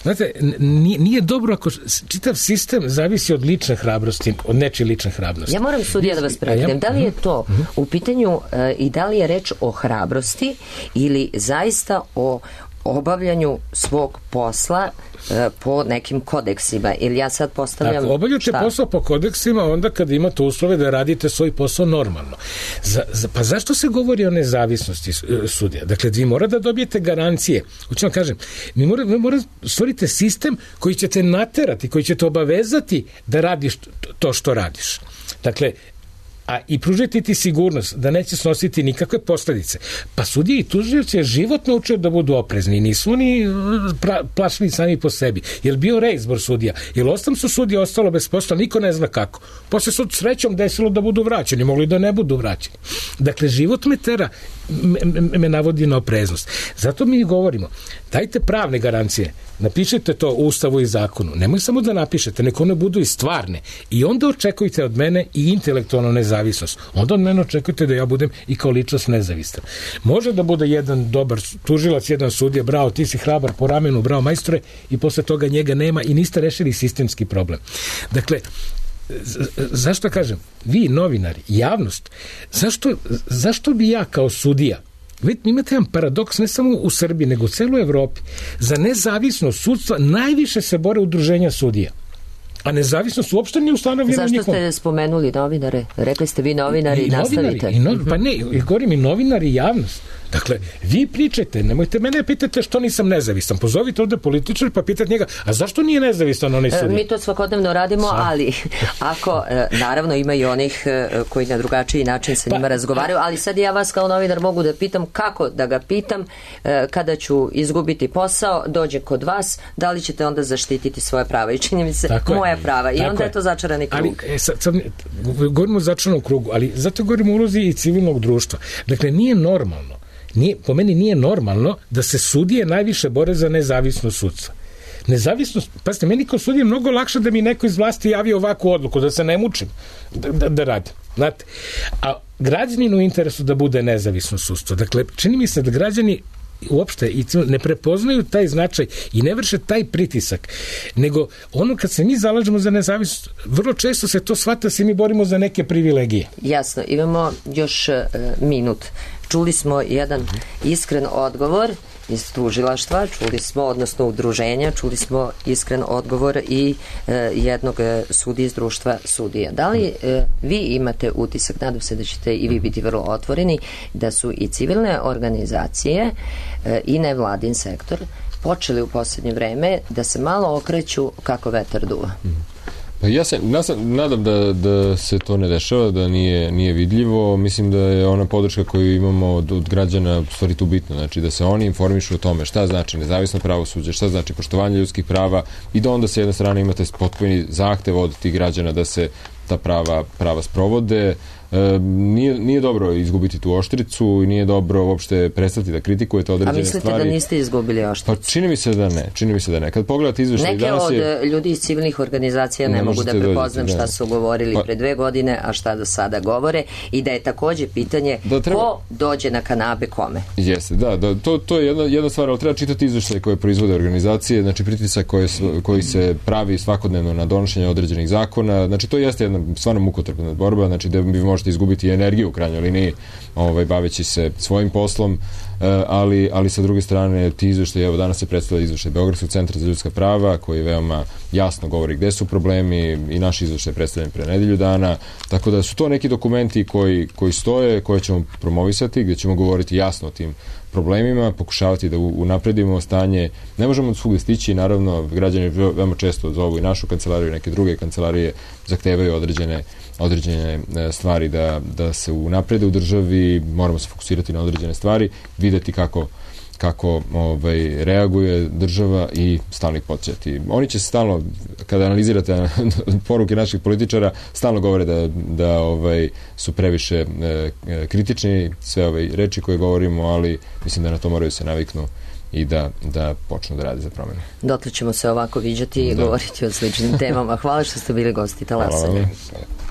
Znate, nije, nije dobro ako čitav sistem zavisi od lične hrabrosti, od nečije lične hrabrosti. Ja moram, sudija, da vas prekidem. Da li je to u pitanju e, i da li je reč o hrabrosti ili zaista o obavljanju svog posla e, po nekim kodeksima? Ili ja sad postavljam... Ako obavljate šta? Posao po kodeksima, onda kad imate uslove da radite svoj posao normalno. Za, za, pa zašto se govori o nezavisnosti sudija? Dakle, vi mora da dobijete garancije. Hoću vam kažem, mi mora, vi mora stvorite sistem koji ćete naterati, koji ćete obavezati da radiš to što radiš. Dakle, a i pružiti ti sigurnost da neće snositi nikakve posledice. Pa sudije i tužioci životno uče da budu oprezni. Nisu oni pra, plašni sami po sebi. Je li bio reizbor sudija? Je li ostam su sudije ostalo bez posla? Niko ne zna kako. Posle su srećom desilo da budu vraćeni. Mogli da ne budu vraćeni. Dakle, život me tera, me, me navodi na opreznost. Zato mi govorimo, dajte pravne garancije. Napišite to u Ustavu i zakonu. Nemoj samo da napišete, neko one budu i stvarne. I onda očekujte od mene i intelektualnu nezavisnost. Onda od mene očekujte da ja budem i kao ličnost nezavistan. Može da bude jedan dobar tužilac, jedan sudija, bravo, ti si hrabar po ramenu, bravo majstore, i posle toga njega nema i niste rešili sistemski problem. Dakle, zašto kažem, vi novinari, javnost, zašto, zašto bi ja kao sudija, vidite, imate jedan paradoks ne samo u Srbiji, nego u celoj Evropi. Za nezavisnost sudstva najviše se bore udruženja sudija. A nezavisnost uopšte nije ustanovljena nikom. Zašto ste spomenuli novinare? Rekli ste vi novinari i, i nastavite. I no, pa ne, govorim i novinari i javnost. Dakle, vi pričajte, nemojte mene pitate što nisam nezavistan. Pozovite ovde političar pa pitate njega, a zašto nije nezavistan onaj sudija? Mi to svakodnevno radimo, Sa. ali ako, naravno ima i onih koji na drugačiji način sa njima pa, razgovaraju, ali sad ja vas kao novinar mogu da pitam kako da ga pitam kada ću izgubiti posao, dođe kod vas, da li ćete onda zaštititi svoje prava? I čini mi se tako moja je. prava. I tako onda je. je to začarani krug. Ali, e, sad, sad, govorimo o začaranom krugu, ali zato govorimo o ulozi i civilnog društva. Dakle, nije normalno. Nije, po meni nije normalno da se sudije najviše bore za nezavisnost sudstva. Nezavisnost, pazite, meni kao sudije je mnogo lakše da mi neko iz vlasti javi ovakvu odluku, da se ne mučim da, da, da radim. Znate? A građaninu interesu da bude nezavisno sudstvo. Dakle, čini mi se da građani uopšte i ne prepoznaju taj značaj i ne vrše taj pritisak, nego ono kad se mi zalažemo za nezavisnost, vrlo često se to shvata da se mi borimo za neke privilegije. Jasno, imamo još uh, minut. Čuli smo jedan iskren odgovor iz tužilaštva, čuli smo, odnosno udruženja, čuli smo iskren odgovor i e, jednog sudije iz društva sudija. Da li e, vi imate utisak, nadam se da ćete i vi biti vrlo otvoreni, da su i civilne organizacije e, i nevladin sektor počeli u posljednje vreme da se malo okreću kako vetar duva? Ja se nadam da, da se to ne dešava, da nije, nije vidljivo. Mislim da je ona podrška koju imamo od, od građana stvari tu bitno. Znači da se oni informišu o tome šta znači nezavisno pravosuđe, šta znači poštovanje ljudskih prava i da onda s jedne strane imate potpuni zahtev od tih građana da se ta prava, prava sprovode. E, nije, nije dobro izgubiti tu oštricu i nije dobro uopšte prestati da kritikujete određene stvari. A mislite stvari. Da niste izgubili oštricu? Pa čini mi se da ne, čini mi se da ne. Kad pogledate izveštaj neke danas od je... ljudi iz civilnih organizacija ne, ne mogu da prepoznam šta su govorili pa... pre dve godine, a šta do sada govore i da je takođe pitanje da treba... ko dođe na kanabe kome. Jeste, da, da to, to je jedna, jedna stvar, ali treba čitati izveštaj koje proizvode organizacije, znači pritisak koji, koji se pravi svakodnevno na donošenje određenih zakona, znači to jeste jedna stvarno mukotrpna borba, znači da bi možete izgubiti energiju u krajnjoj liniji, ovaj, baveći se svojim poslom, ali, ali sa druge strane ti izveštaj, evo danas se predstavlja izveštaj Beogradskog centra za ljudska prava koji veoma jasno govori gde su problemi i naš izveštaj je predstavljen pre nedelju dana, tako da su to neki dokumenti koji, koji stoje, koje ćemo promovisati, gde ćemo govoriti jasno o tim problemima, pokušavati da unapredimo stanje. Ne možemo od svugde stići, naravno građani veoma često zovu i našu kancelariju i neke druge kancelarije, zahtevaju određene određene stvari da, da se unaprede u državi, moramo se fokusirati na određene stvari, videti kako, kako ovaj, reaguje država i stalno ih podsjeti. Oni će stalno, kada analizirate poruke naših političara, stalno govore da, da ovaj, su previše e, kritični, sve ove reči koje govorimo, ali mislim da na to moraju se naviknu i da, da počnu da rade za promene. Dotle ćemo se ovako viđati i da. govoriti o sličnim temama. Hvala što ste bili gosti Talasanja. Hvala.